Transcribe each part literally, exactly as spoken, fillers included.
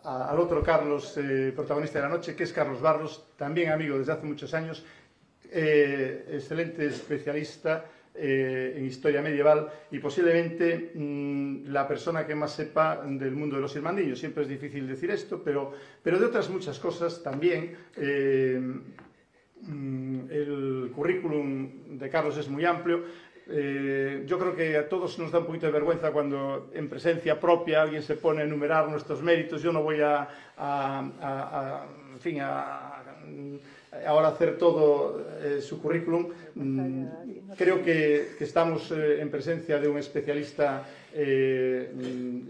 a, al otro Carlos, eh, protagonista de la noche, que es Carlos Barros, también amigo desde hace muchos años, eh, excelente especialista eh, en historia medieval y posiblemente mmm, la persona que más sepa del mundo de los irmandiños. Siempre es difícil decir esto, pero, pero de otras muchas cosas también. Eh, el currículum de Carlos es muy amplio. Eh, yo creo que a todos nos da un poquito de vergüenza cuando en presencia propia alguien se pone a enumerar nuestros méritos. Yo no voy a, a, a, a en fin, a, a ahora hacer todo eh, su currículum. Mm, creo que, que estamos eh, en presencia de un especialista eh,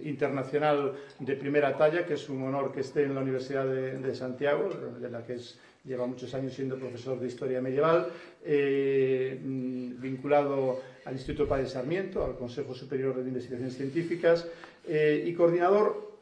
internacional de primera talla, que es un honor que esté en la Universidad de, de Santiago, de la que es, lleva muchos años siendo profesor de Historia Medieval, eh, vinculado al Instituto Padre Sarmiento, al Consejo Superior de Investigaciones Científicas, eh, y coordinador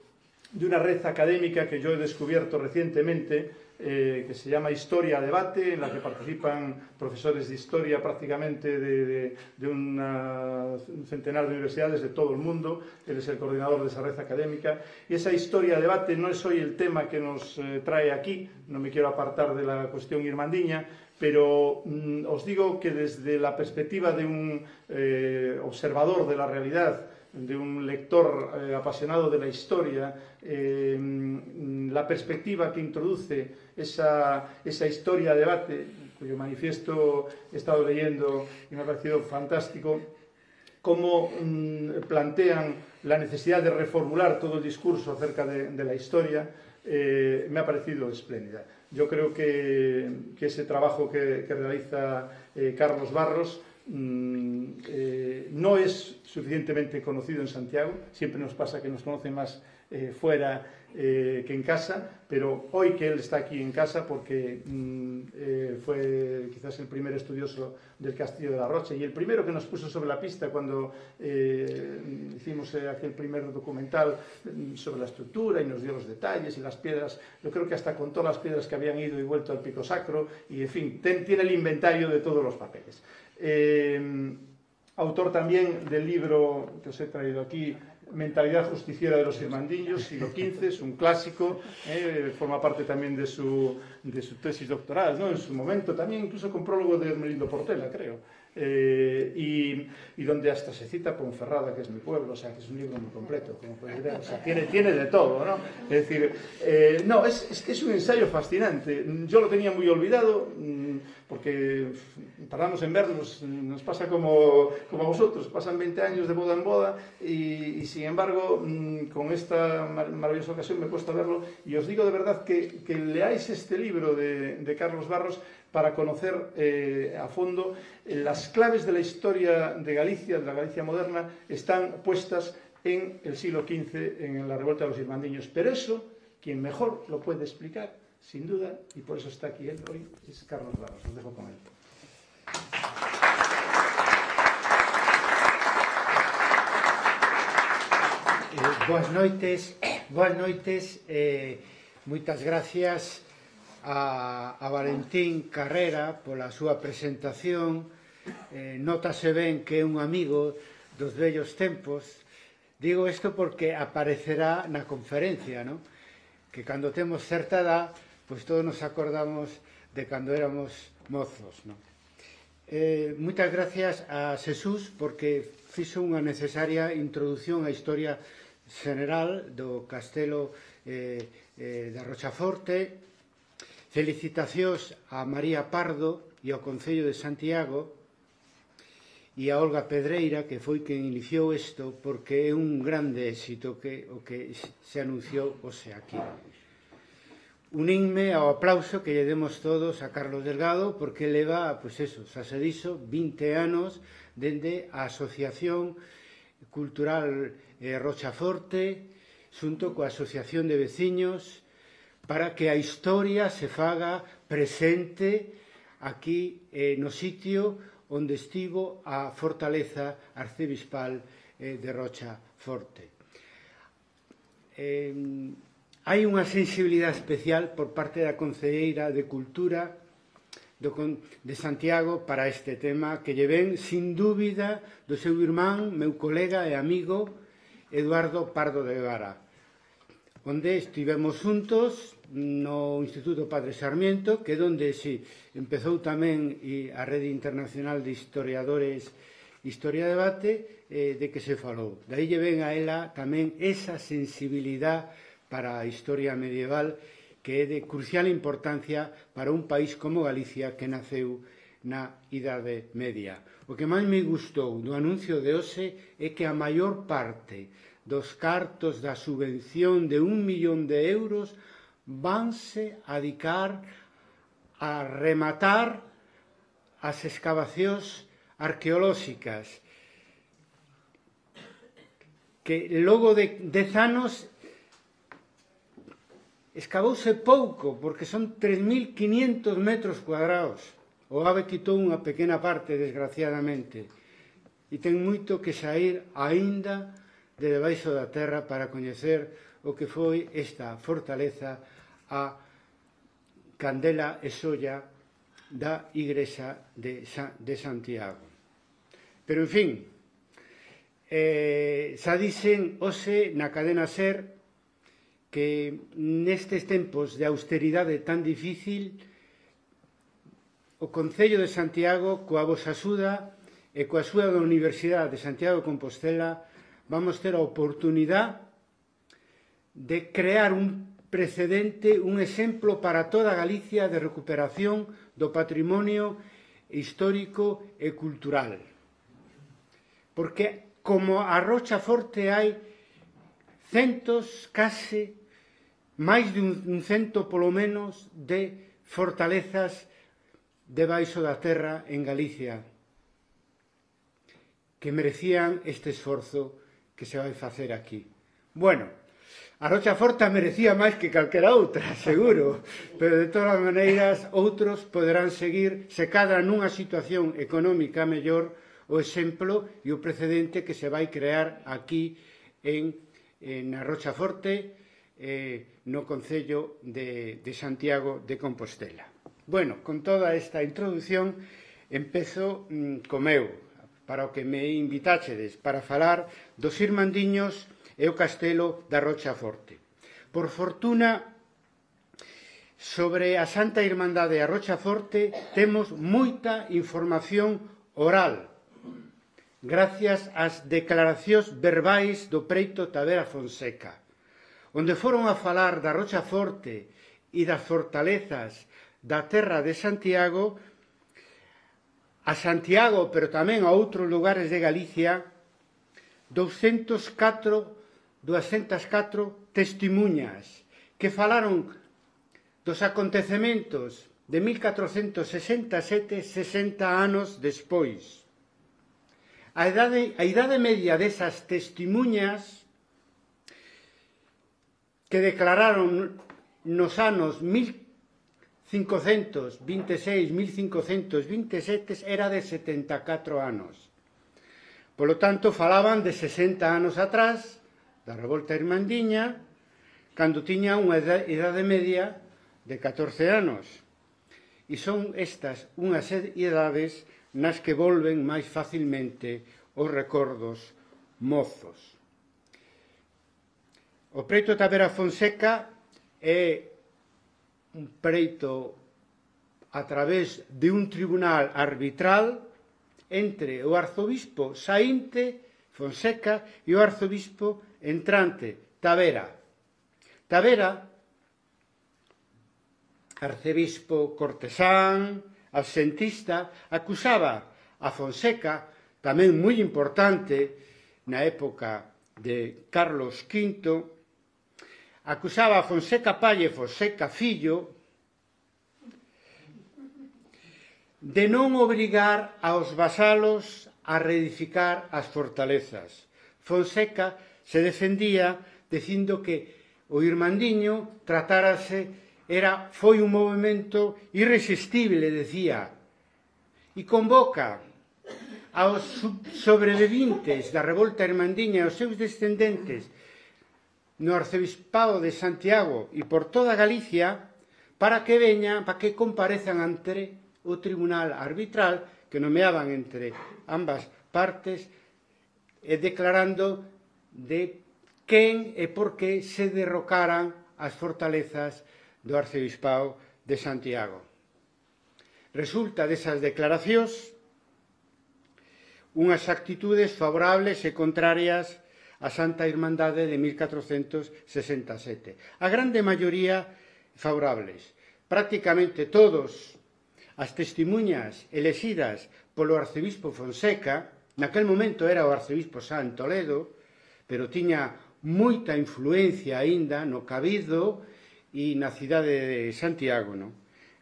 de una red académica que yo he descubierto recientemente, Eh, que se llama Historia a Debate, en la que participan profesores de historia prácticamente de, de, de una, un centenar de universidades de todo el mundo. Él es el coordinador de esa red académica, y esa Historia a Debate no es hoy el tema que nos eh, trae aquí. No me quiero apartar de la cuestión irmandiña, pero mm, os digo que desde la perspectiva de un eh, observador de la realidad, de un lector eh, apasionado de la historia, eh, la perspectiva que introduce esa, esa historia de debate, cuyo manifiesto he estado leyendo y me ha parecido fantástico, cómo mmm, plantean la necesidad de reformular todo el discurso acerca de, de la historia, eh, me ha parecido espléndida. Yo creo que, que ese trabajo que, que realiza eh, Carlos Barros Mm, eh, no es suficientemente conocido en Santiago. Siempre nos pasa que nos conocen más eh, fuera eh, que en casa, pero hoy que él está aquí en casa porque mm, eh, fue quizás el primer estudioso del Castillo de la Rocha y el primero que nos puso sobre la pista cuando eh, hicimos eh, aquel primer documental sobre la estructura y nos dio los detalles y las piedras. Yo creo que hasta contó las piedras que habían ido y vuelto al Pico Sacro y, en fin, ten, tiene el inventario de todos los papeles. Eh, autor también del libro que os he traído aquí, Mentalidad justiciera de los irmandiños, siglo quince, es un clásico, eh, forma parte también de su, de su tesis doctoral, ¿no? En su momento, también incluso con prólogo de Hermelindo Portela, creo, eh, y, y donde hasta se cita Ponferrada, que es mi pueblo, o sea, que es un libro muy completo, como podéis ver, o sea, tiene, tiene de todo, ¿no? Es decir, eh, no, es, es que es un ensayo fascinante. Yo lo tenía muy olvidado, porque tardamos en vernos, nos pasa como, como a vosotros, pasan veinte años de boda en boda y, y sin embargo con esta mar maravillosa ocasión me he puesto a verlo y os digo de verdad que, que leáis este libro de, de Carlos Barros para conocer eh, a fondo eh, las claves de la historia de Galicia, de la Galicia moderna, están puestas en el siglo quince, en la revuelta de los irmandiños, pero eso, quien mejor lo puede explicar, sin duda, y por eso está aquí él hoy, es Carlos Barros. Os dejo con él. Eh, boas noites, boas noites, eh, moitas gracias a, a Valentín Carrera pola súa presentación. Eh, notase ben que é un amigo dos vellos tempos. Digo isto porque aparecerá na conferencia, ¿no? Que cando temos certa edad, pois todos nos acordamos de cando éramos mozos, non? Eh, moitas gracias a Xesús porque fixo unha necesaria introducción á historia general do castelo eh, eh, da Rochaforte. Felicitacións a María Pardo e ao Concello de Santiago e a Olga Pedreira, que foi quen iniciou isto, porque é un grande éxito que, o que se anunciou hoxe aquí. Unínme ao aplauso que lle demos todos a Carlos Delgado, porque leva, pois eso, xa se dixo, vinte anos dende a Asociación Cultural eh, Rochaforte, xunto coa Asociación de Veciños, para que a historia se faga presente aquí eh, no sitio onde estivo a fortaleza arcebispal eh, de Rochaforte. Eh, hai unha sensibilidade especial por parte da Concelleira de Cultura do, de Santiago para este tema que lle ven, sin dúbida, do seu irmán, meu colega e amigo, Eduardo Pardo de Vara. onde estivemos juntos no Instituto Padre Sarmiento, que é onde si empezou tamén a Rede Internacional de Historiadores Historia Debate, eh, de que se falou. Daí lle ven a ela tamén esa sensibilidade para a historia medieval que é de crucial importancia para un país como Galicia que naceu na Idade Media. O que máis me gustou do anuncio de hoxe é que a maior parte dos cartos da subvención de un millón de euros vanse a dedicar a rematar as excavacións arqueolóxicas que logo de dez anos escavouse pouco porque son tres mil quinientos metros cuadrados. O AVE quitou unha pequena parte, desgraciadamente, e ten moito que sair aínda de debaixo da terra para coñecer o que foi esta fortaleza, a Candela e Solla da Igrexa de, Sa de Santiago. Pero, en fin, eh, xa dixen hoxe na cadena SER que nestes tempos de austeridade tan difícil o Concello de Santiago, coa vosa axuda e coa axuda da Universidade de Santiago de Compostela, vamos ter a oportunidade de crear un precedente, un exemplo para toda Galicia de recuperación do patrimonio histórico e cultural. Porque, como a Rocha Forte, hai centos, case, máis de un cento polo menos, de fortalezas debaixo da terra en Galicia que merecían este esforzo que se vai facer aquí. Bueno, a Rocha Forte merecía máis que calquera outra, seguro, pero de todas as maneiras outros poderán seguir se cadra nunha situación económica mellor o exemplo e o precedente que se vai crear aquí en, en a Rocha Forte, eh, no Concello de, de Santiago de Compostela. Bueno, con toda esta introdución, empezo mm, co meu, para o que me invitáchedes, para falar dos Irmandiños e o castelo da Rocha Forte. Por fortuna, sobre a Santa Irmandade e a Rocha Forte temos moita información oral, gracias ás declaracións verbais do preito Tavera Fonseca, onde foron a falar da Rocha Forte e das fortalezas da terra de Santiago, a Santiago, pero tamén a outros lugares de Galicia, doscientas catro testimuñas que falaron dos acontecementos de mil catrocentos sesenta e sete, sesenta anos despois. A idade, a idade media desas testimuñas que declararon nos anos mil cincocentos vinte e seis, mil cincocentos vinte e sete era de setenta e catro anos. Polo tanto, falaban de sesenta anos atrás, da revolta irmandiña, cando tiña unha idade media de catorce anos. E son estas unhas idades nas que volven máis facilmente os recordos mozos. O preito Tavera Fonseca é un preito a través de un tribunal arbitral entre o arzobispo saínte Fonseca e o arzobispo entrante Tavera. Tavera, arcebispo cortesán, absentista, acusaba a Fonseca, tamén moi importante na época de Carlos quinto, acusaba a Fonseca Palle, Fonseca fillo, de non obrigar aos vasalos a reedificar as fortalezas. Fonseca se defendía dicindo que o Irmandiño tratárase, era, foi un movimento irresistible, decía, e convoca aos sobreviventes da revolta irmandiña e aos seus descendentes no arcebispado de Santiago e por toda Galicia para que veñan, para que comparezan ante o tribunal arbitral que nomeaban entre ambas partes e declarando de quen e por que se derrocaran as fortalezas do arcebispado de Santiago. Resulta desas declaracións unhas actitudes favorables e contrarias á Santa Irmandade de mil catrocentos sesenta e sete. A grande maioría favorables. Prácticamente todos as testemunhas elexidas polo arcebispo Fonseca, naquel momento era o arcebispo San Toledo, pero tiña moita influencia aínda no Cabildo e na cidade de Santiago, non?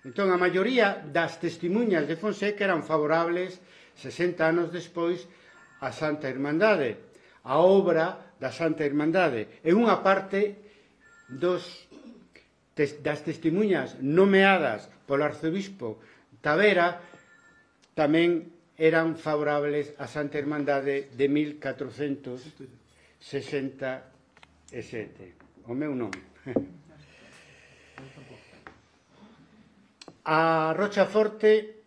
Entón, a maioría das testemunhas de Fonseca eran favorables sesenta anos despois a Santa Irmandade, a obra da Santa Irmandade. E unha parte dos, das testemunhas nomeadas polo arcebispo Tavera tamén eran favorables a Santa Irmandade de mil catrocentos sesenta e sete. O meu nome. A Rochaforte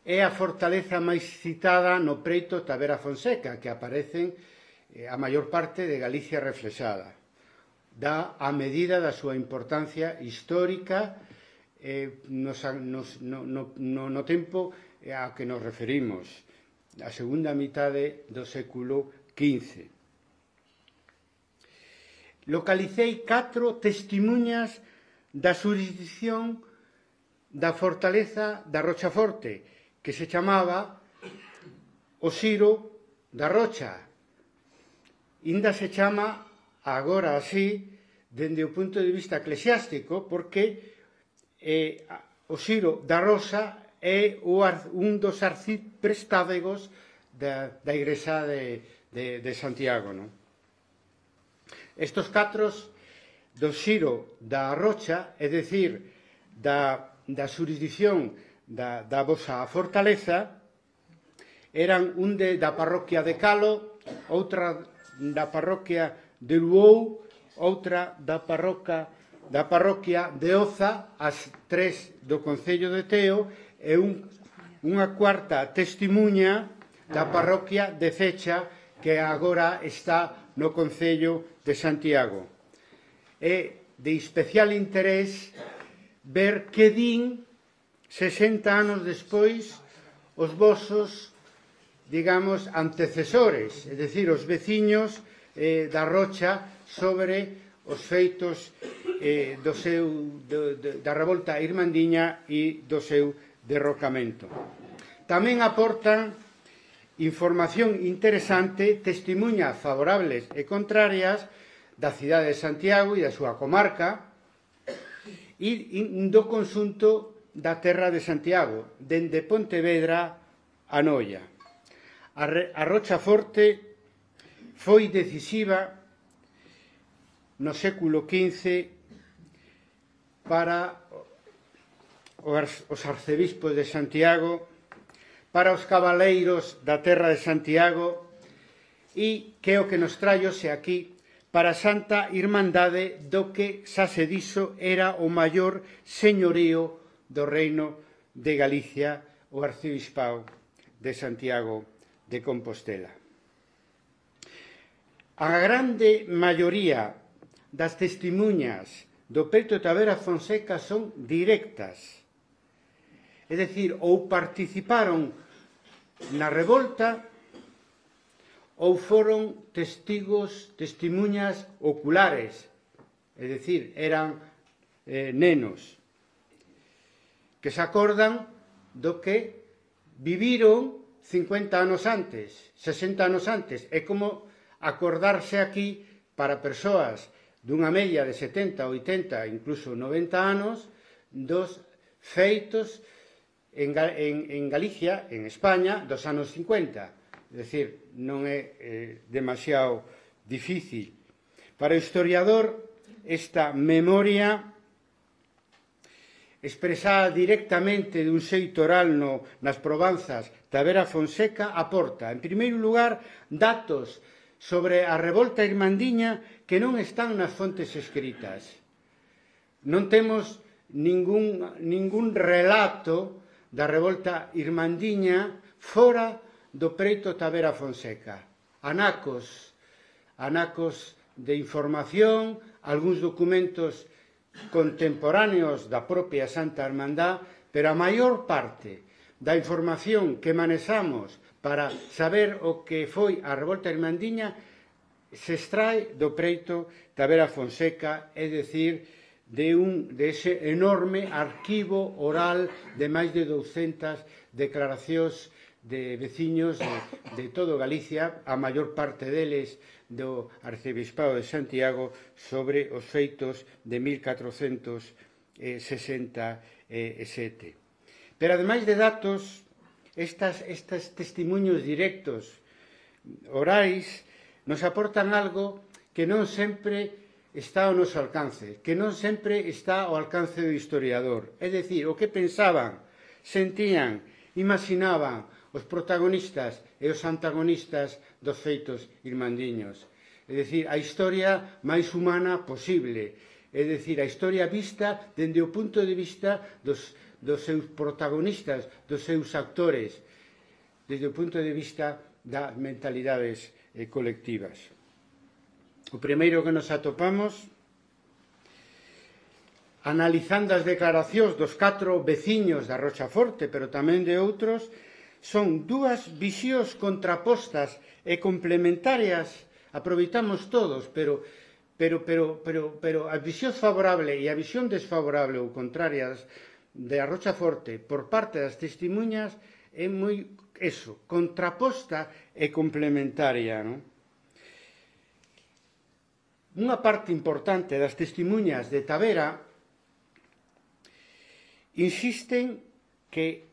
é a fortaleza máis citada no preito Tavera Fonseca, que aparecen a maior parte de Galicia reflexada. Dá a medida da súa importancia histórica eh, nos, nos, no, no, no tempo ao que nos referimos, a segunda mitade do século quince. Localicei catro testemunhas da xurisdición da fortaleza da Rochaforte, que se chamaba o Xiro da Rocha. Inda se chama agora así dende o punto de vista eclesiástico, porque eh, o Xiro da Rosa é o, un dos arciprestávegos da, da Igrexa de, de, de Santiago, non? Estos catros do Xiro da Rocha, é dicir, da, da xurisdición Da, da vosa fortaleza, eran un de, da parroquia de Calo, outra da parroquia de Luou, outra da parroquia, da parroquia de Oza, as tres do Concello de Teo, e un, unha cuarta testimuña da parroquia de Cecha, que agora está no Concello de Santiago. É de especial interés ver que din sesenta anos despois os vosos, digamos, antecesores, é dicir, os veciños eh, da Rocha sobre os feitos eh, do seu, do, do, da revolta irmandiña e do seu derrocamento. Tamén aportan información interesante, testimuñas favorables e contrarias da cidade de Santiago e da súa comarca e do conxunto da terra de Santiago, dende Pontevedra a Noia. A, a Rochaforte foi decisiva no século quince para os arcebispos de Santiago, para os cabaleiros da terra de Santiago e que o que nos traiose aquí para a Santa Irmandade do que xa se dixo era o maior señorío do reino de Galicia, o arcebispado de Santiago de Compostela. A grande maioría das testemunhas do preito Tavera Fonseca son directas, é dicir, ou participaron na revolta ou foron testigos, testemunhas oculares, é dicir, eran eh, nenos, que se acordan do que viviron cincuenta anos antes, sesenta anos antes. É como acordarse aquí para persoas dunha media de setenta, oitenta, incluso noventa anos, dos feitos en, en, en Galicia, en España, dos anos cincuenta. É dicir, non é eh, demasiado difícil. Para o historiador, esta memoria expresada directamente dun xeito oral no, nas probanzas Tavera Fonseca aporta, en primeiro lugar, datos sobre a revolta irmandiña que non están nas fontes escritas. Non temos ningún, ningún relato da revolta irmandiña fora do preito Tavera Fonseca. Anacos, anacos de información, algúns documentos contemporáneos da propia Santa Hermandad, pero a maior parte da información que manexamos para saber o que foi a revolta irmandiña se extrae do preito da Vera Fonseca, é dicir, de, un, de ese enorme arquivo oral de máis de douscentas declaracións de veciños de, de todo Galicia, a maior parte deles do Arcebispado de Santiago, sobre os feitos de mil catrocentos sesenta e sete. Pero, ademais de datos, estas, estes testemunhos directos orais nos aportan algo que non sempre está ao noso alcance, que non sempre está ao alcance do historiador. É dicir, o que pensaban, sentían, imaginaban os protagonistas e os antagonistas dos feitos irmandiños. É dicir, a historia máis humana posible. É dicir, a historia vista dende o punto de vista dos, dos seus protagonistas, dos seus actores, desde o punto de vista das mentalidades eh, colectivas. O primeiro que nos atopamos, analizando as declaracións dos catro veciños da Rochaforte, pero tamén de outros, son dúas visións contrapostas e complementarias. Aproveitamos todos, pero, pero, pero, pero, pero a visión favorable e a visión desfavorable ou contrarias da Rochaforte por parte das testemunhas é moi, eso, contraposta e complementaria, non? Unha parte importante das testemunhas de Tavera insisten que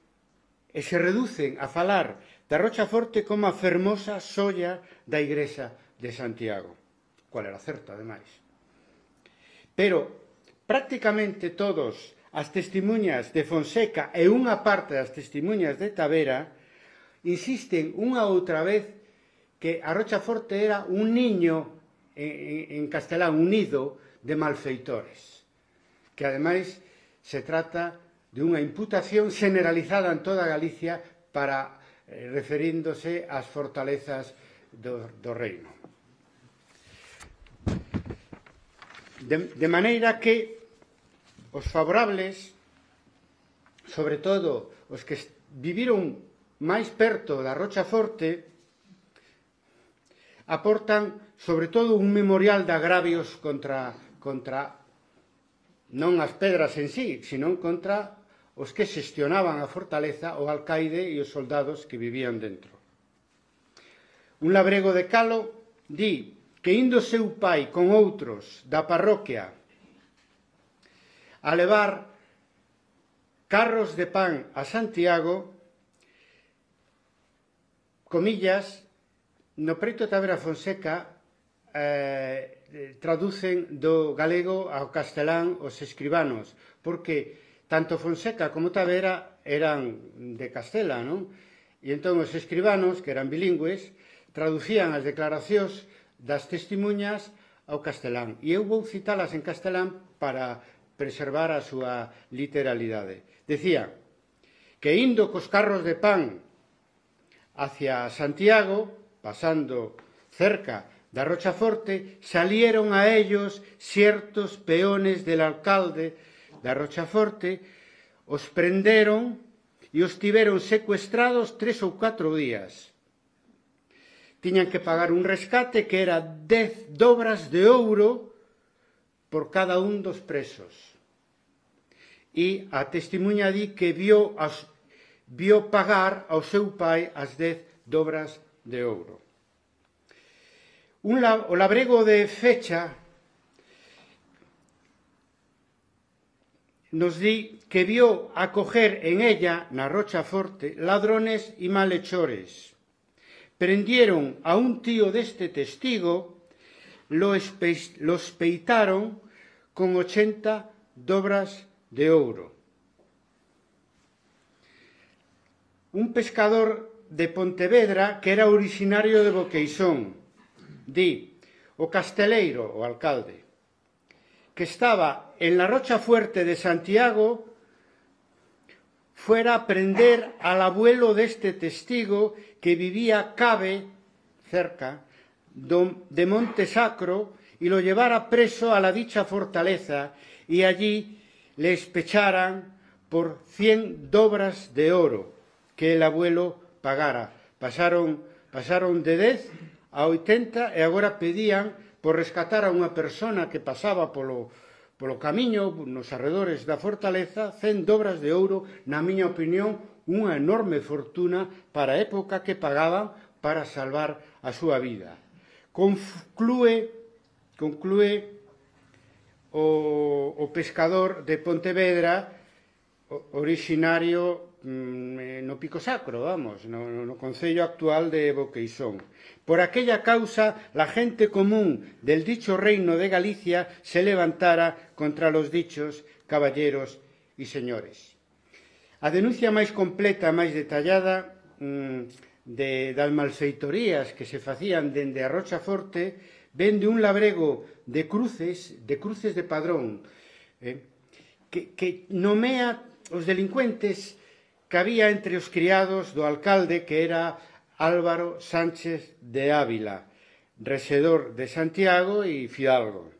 e se reducen a falar da Rochaforte como a fermosa xoia da Igrexa de Santiago, cual era certo, ademais. Pero prácticamente todos as testemunhas de Fonseca e unha parte das testemunhas de Tavera insisten unha outra vez que a Rochaforte era un niño en, en castelán, un nido de malfeitores, que ademais se trata de unha imputación generalizada en toda Galicia para eh, referíndose ás fortalezas do, do reino. De, de maneira que os favorables, sobre todo os que viviron máis perto da Rochaforte, aportan sobre todo un memorial de agravios contra, contra non as pedras en sí, sino contra os que xestionaban a fortaleza, o alcaide e os soldados que vivían dentro. Un labrego de Calo di que indo seu pai con outros da parroquia a levar carros de pan a Santiago, comillas, no preito de Tavera Fonseca eh, traducen do galego ao castelán os escribanos, porque tanto Fonseca como Tavera eran de Castela, non? E entón os escribanos, que eran bilingües, traducían as declaracións das testemunhas ao castelán. E eu vou citalas en castelán para preservar a súa literalidade. Decía que indo cos carros de pan hacia Santiago, pasando cerca da Rochaforte, salieron a ellos ciertos peones del alcalde da Rochaforte, os prenderon e os tiveron secuestrados tres ou catro días. Tiñan que pagar un rescate que era dez dobras de ouro por cada un dos presos. E a testemunha di que vio, as, vio pagar ao seu pai as dez dobras de ouro. Un, o labrego de Fecha nos di que vio acoger en ella, na Rochaforte, ladrones e malhechores. Prendieron a un tío deste testigo, lo, espe, lo espeitaron con ochenta dobras de ouro. Un pescador de Pontevedra, que era originario de Boqueisón, di, o casteleiro, o alcalde, que estaba en la Rochafuerte de Santiago, fuera a prender al abuelo de este testigo que vivía cabe cerca de Monte Sacro y lo llevara preso a la dicha fortaleza y allí le especharan por cien dobras de oro que el abuelo pagara. Pasaron, pasaron de dez a oitenta e agora pedían por rescatar a unha persona que pasaba polo, polo camiño nos arredores da fortaleza cen dobras de ouro, na miña opinión, unha enorme fortuna para a época que pagaban para salvar a súa vida. Conclúe, conclúe o, o pescador de Pontevedra, originario no Pico Sacro, vamos, no, no concello actual de Boqueisón. Por aquella causa, la gente común del dicho reino de Galicia se levantara contra los dichos caballeros y señores. A denuncia máis completa, máis detallada de, das malfeitorías que se facían dende a Rochaforte ven de un labrego de cruces, de cruces de Padrón, eh, que, que nomea os delincuentes que había entre os criados do alcalde, que era Álvaro Sánchez de Ávila, rexedor de Santiago e fidalgo.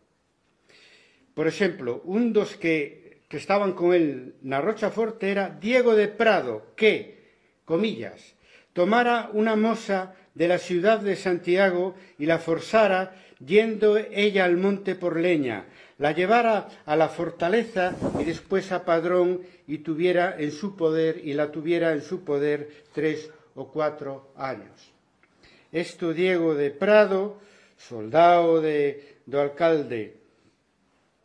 Por exemplo, un dos que, que estaban con él na Rochaforte era Diego de Prado, que, comillas, tomara una moza de la ciudad de Santiago y la forzara yendo ella al monte por leña, la llevara a la fortaleza y después a Padrón y tuviera en su poder y la tuviera en su poder tres o cuatro años. Esto Diego de Prado, soldado de, do alcalde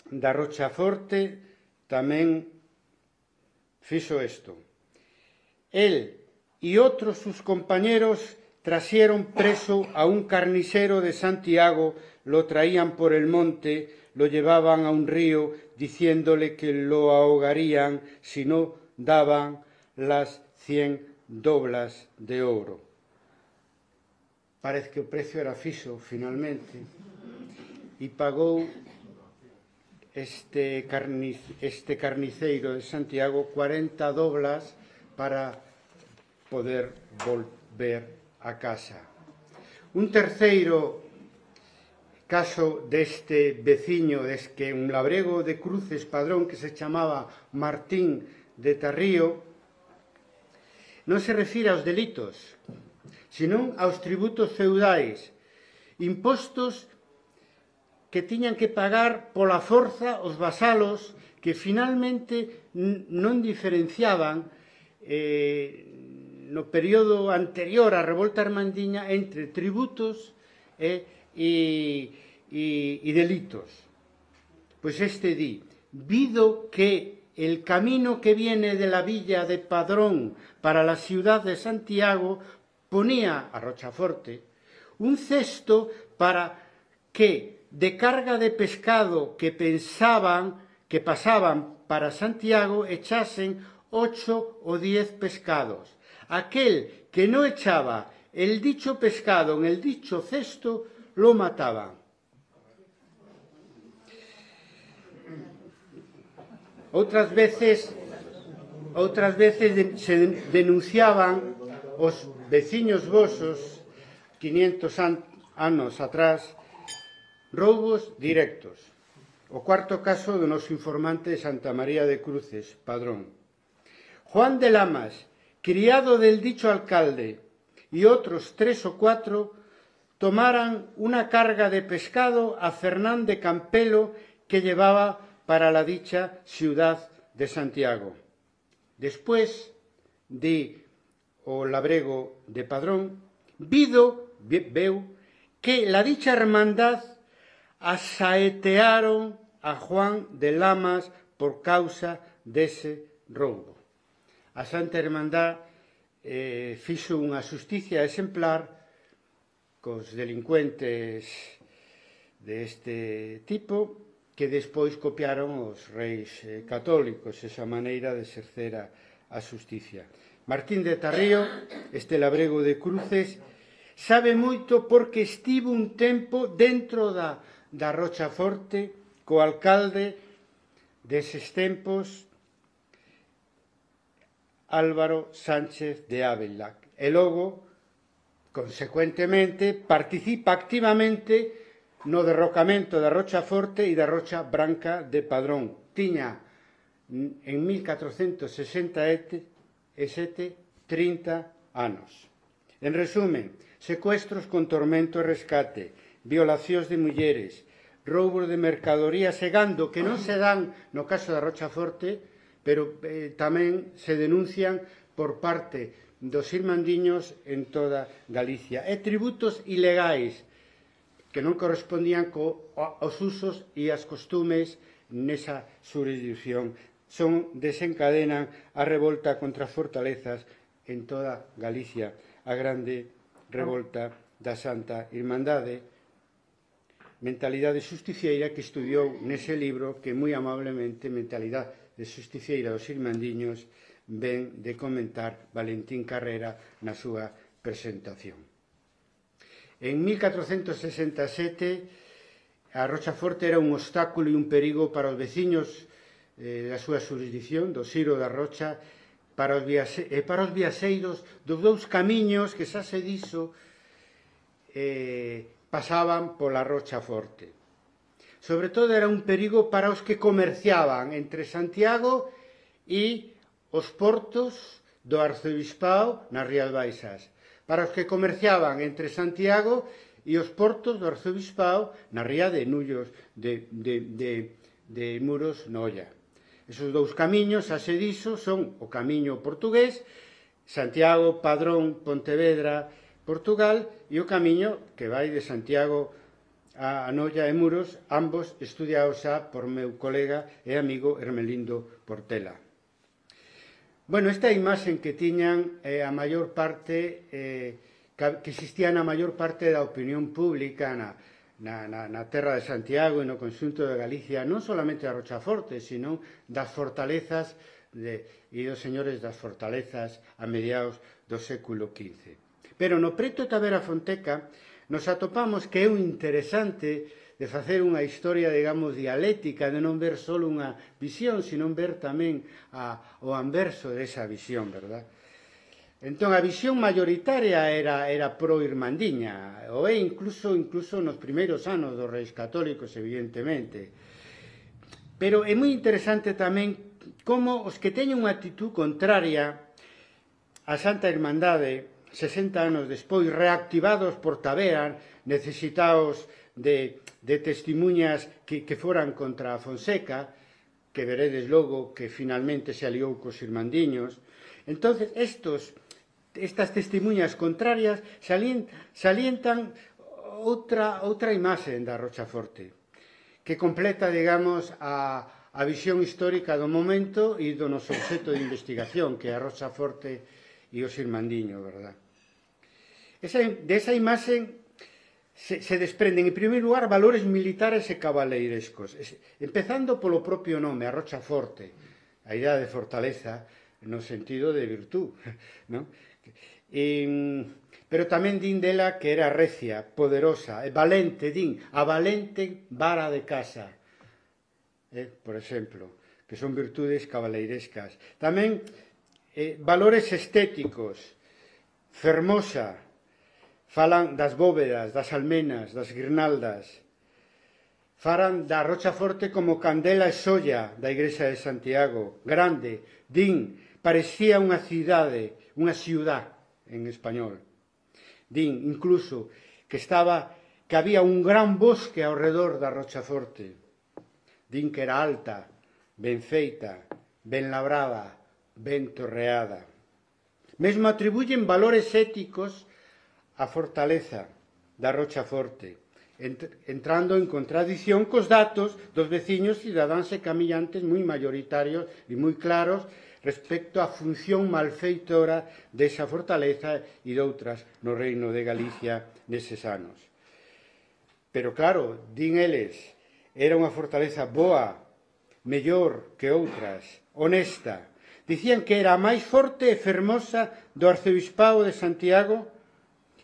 da Rochaforte, tamén fixo isto. Él y otros sus compañeros trasieron preso a un carnicero de Santiago, lo traían por el monte, lo llevaban a un río diciéndole que lo ahogarían si no daban las cien doblas de oro. Parece que o precio era fixo, finalmente, e pagou este, carnic, este carniceiro de Santiago cuarenta doblas para poder volver a casa. Un terceiro caso deste veciño, des que un labrego de Cruces Padrón que se chamaba Martín de Tarrío, non se refire aos delitos, senón aos tributos feudais, impostos que tiñan que pagar pola forza os vasalos que finalmente non diferenciaban eh, no período anterior á revolta armandiña entre tributos e E, e, y delitos. Pues este di, vido que el camino que viene de la villa de Padrón para la ciudad de Santiago ponía a Rochaforte un cesto para que de carga de pescado que pensaban que pasaban para Santiago echasen ocho o diez pescados. Aquel que no echaba el dicho pescado en el dicho cesto lo mataban. Outras veces, outras veces se denunciaban os veciños vosos, quinientos anos atrás, roubos directos. O cuarto caso do noso informante de Santa María de Cruces, Padrón. Juan de Lamas, criado del dicho alcalde, y otros tres o cuatro tomaran una carga de pescado a Fernán de Campelo que llevaba para la dicha ciudad de Santiago. Después de o labrego de Padrón, vido, veu, que la dicha hermandad asaetearon a Juan de Lamas por causa dese roubo. A Santa Hermandad eh, fixo unha xusticia exemplar cos delincuentes deste tipo que despois copiaron os reis eh, católicos esa maneira de exercer a, a xusticia. Martín de Tarrío, este labrego de Cruces, sabe moito porque estivo un tempo dentro da, da Rochaforte co alcalde deses tempos, Álvaro Sánchez de Ávila, e logo consecuentemente, participa activamente no derrocamento da Rocha Forte e da Rocha Branca de Padrón. Tiña en mil catrocentos sesenta e sete trinta anos. En resumen, secuestros con tormento e rescate, violacións de mulleres, roubos de mercadorías e gando que non se dan no caso da Rocha Forte, pero eh, tamén se denuncian por parte dos irmandiños en toda Galicia. E tributos ilegais que non correspondían co, aos usos e as costumes nesa jurisdicción. Son, desencadenan a revolta contra as fortalezas en toda Galicia, a grande revolta da Santa Irmandade, mentalidade justicieira que estudiou nese libro que moi amablemente Mentalidade de Justicieira dos Irmandiños ven de comentar Valentín Carrera na súa presentación. En mil catrocentos sesenta e sete a Rocha Forte era un obstáculo e un perigo para os veciños eh, da súa jurisdicción, do Siro da Rocha, para os, viaxe, eh, para os viaxeiros dos dous camiños que xa se dixo eh, pasaban pola Rocha Forte. Sobre todo era un perigo para os que comerciaban entre Santiago e os portos do Arcebispado nas Rías Baixas, para os que comerciaban entre Santiago e os portos do Arcebispado na ría de Nullos de, de, de, de Muros Noia. Esos dous camiños, a se dixo, son o camiño portugués, Santiago, Padrón, Pontevedra, Portugal, e o camiño que vai de Santiago a Noia e Muros, ambos estudiados xa por meu colega e amigo Hermelindo Portela. Bueno, esta imaxe que tiñan eh, a maior parte, eh, que existía na maior parte da opinión pública na, na, na, na terra de Santiago e no conxunto de Galicia, non solamente da Rocha Forte, sino das fortalezas de, e dos señores das fortalezas a mediados do século quince. Pero no preto de Tavera Fonteca nos atopamos que é un interesante de facer unha historia, digamos, dialéctica, de non ver só unha visión, sino ver tamén a, o anverso desa visión, verdad? Entón, a visión mayoritaria era, era pro-irmandiña, ou é incluso, incluso nos primeiros anos dos reis católicos, evidentemente. Pero é moi interesante tamén como os que teñen unha actitud contraria á Santa Irmandade, sesenta anos despois, reactivados por Tavera, necesitados de, de testimuñas que, que foran contra a Fonseca, que veredes logo que finalmente se aliou cos irmandiños. Entonces, estos, estas testimuñas contrarias salientan outra, outra imaxe da Rocha Forte, que completa, digamos, a, a visión histórica do momento e do noso obxecto de investigación, que é a Rocha Forte e os irmandiños, verdad? Esa, de esa imaxe se, se desprenden, en primeiro lugar, valores militares e cabaleirescos, empezando polo propio nome, a Rocha Forte, a idea de fortaleza no sentido de virtud, ¿no? E, pero tamén din dela que era recia, poderosa, e valente, din, a valente vara de casa, eh, por exemplo, que son virtudes cabaleirescas. Tamén Eh, valores estéticos, fermosa, falan das bóvedas, das almenas, das guirnaldas, falan da Rocha Forte como candela e solla da Igrexa de Santiago, grande, din, parecía unha cidade, unha ciudad en español. Din, incluso, que estaba, que había un gran bosque ao redor da Rocha Forte. Din que era alta, ben feita, ben labrada, ben torreada. Mesmo atribuyen valores éticos á fortaleza da Rocha Forte, entrando en contradición cos datos dos veciños cidadáns e camillantes moi mayoritarios e moi claros respecto á función malfeitora desa fortaleza e doutras no Reino de Galicia neses anos. Pero claro, din eles, era unha fortaleza boa, mellor que outras, honesta. Dicían que era a máis forte e fermosa do Arcebispado de Santiago,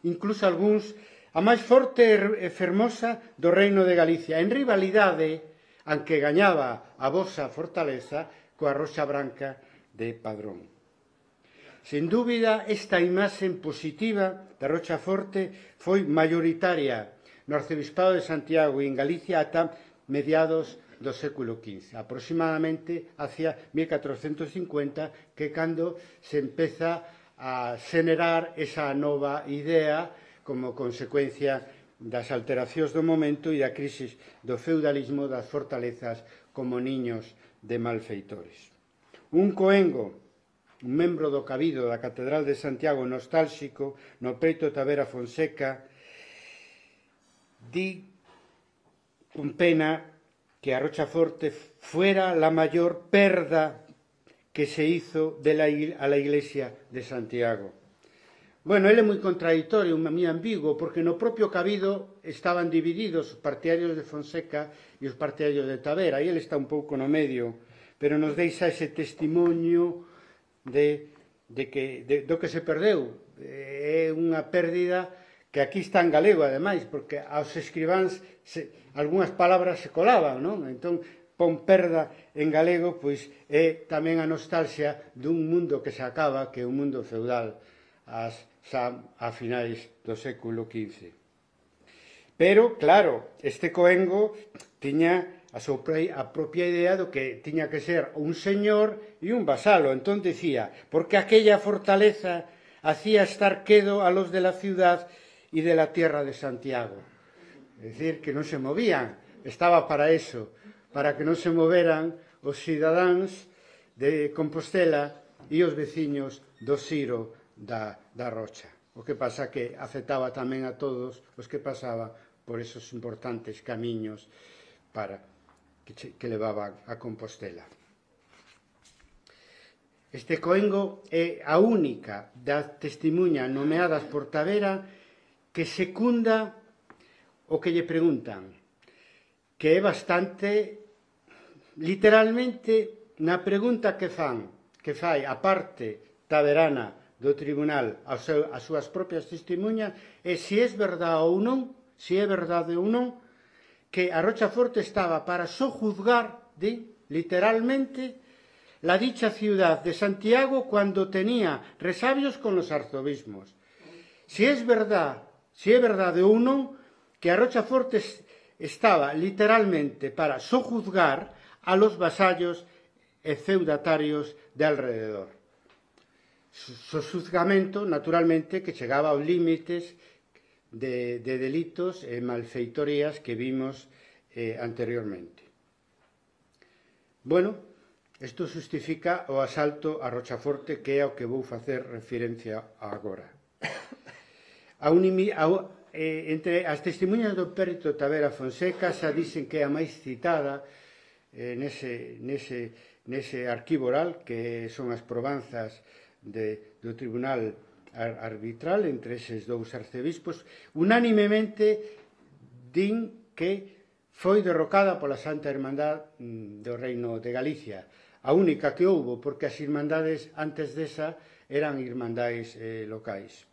incluso algúns a máis forte e fermosa do Reino de Galicia, en rivalidade, aunque gañaba a vosa fortaleza, coa Roxa Branca de Padrón. Sen dúbida, esta imaxe positiva da Rochaforte foi maioritaria no Arcebispado de Santiago e en Galicia ata mediados do século quince, aproximadamente hacia mil catrocentos cincuenta, que cando se empeza a xenerar esa nova idea como consecuencia das alteracións do momento e da crisis do feudalismo das fortalezas como niños de malfeitores. Un coengo, un membro do cabido da Catedral de Santiago nostálxico, no peito Tavera Fonseca, di con pena que a Rochaforte fuera la mayor perda que se hizo de la, a la Iglesia de Santiago. Bueno, ele é moi contradictorio, moi ambiguo, porque no propio cabido estaban divididos os partidarios de Fonseca e os partidarios de Tavera, e ele está un pouco no medio, pero nos deixa ese testimonio de, de que, de, do que se perdeu. É unha pérdida que aquí está en galego, ademais, porque aos escribáns se, algunhas palabras se colaban, non? Entón, pon perda en galego, pois é tamén a nostalgia dun mundo que se acaba, que é un mundo feudal, as, xa a finais do século quince. Pero, claro, este coengo tiña a, sopra, a propia idea do que tiña que ser un señor e un vasalo. Entón decía, porque aquella fortaleza hacía estar quedo a los de la ciudad y de la tierra de Santiago. Es decir, que non se movían, estaba para eso, para que non se moveran os cidadáns de Compostela e os veciños do Siro da, da Rocha. O que pasa que afectaba tamén a todos os que pasaban por esos importantes camiños para que, que levaban a Compostela. Este coengo é a única das testemunhas nomeadas por Tavera que secunda o que lle preguntan, que é bastante, literalmente, na pregunta que fan, que fai a parte taverana do tribunal as súas propias testemunhas, é se é verdade ou non, se é verdade ou non, que a Rochaforte estaba para sojuzgar, di, literalmente, la dicha ciudad de Santiago cuando tenía resabios con los arzobismos. Si es verdad, si é verdade ou non, que a Rochaforte estaba literalmente para sojuzgar a los vasallos e feudatarios de alrededor. Sojuzgamento, naturalmente, que chegaba aos límites de, de delitos e malfeitorías que vimos eh, anteriormente. Bueno, isto justifica o asalto a Rochaforte, que é ao que vou facer referencia agora. A unimi, a, eh, entre as testemunhas do perito Tavera Fonseca xa dicen que é a máis citada eh, nese, nese, nese arquivo oral, que son as probanzas de, do tribunal arbitral entre eses dous arcebispos, unánimemente din que foi derrocada pola Santa Irmandad do Reino de Galicia, a única que houbo, porque as irmandades antes desa eran irmandades eh, locais.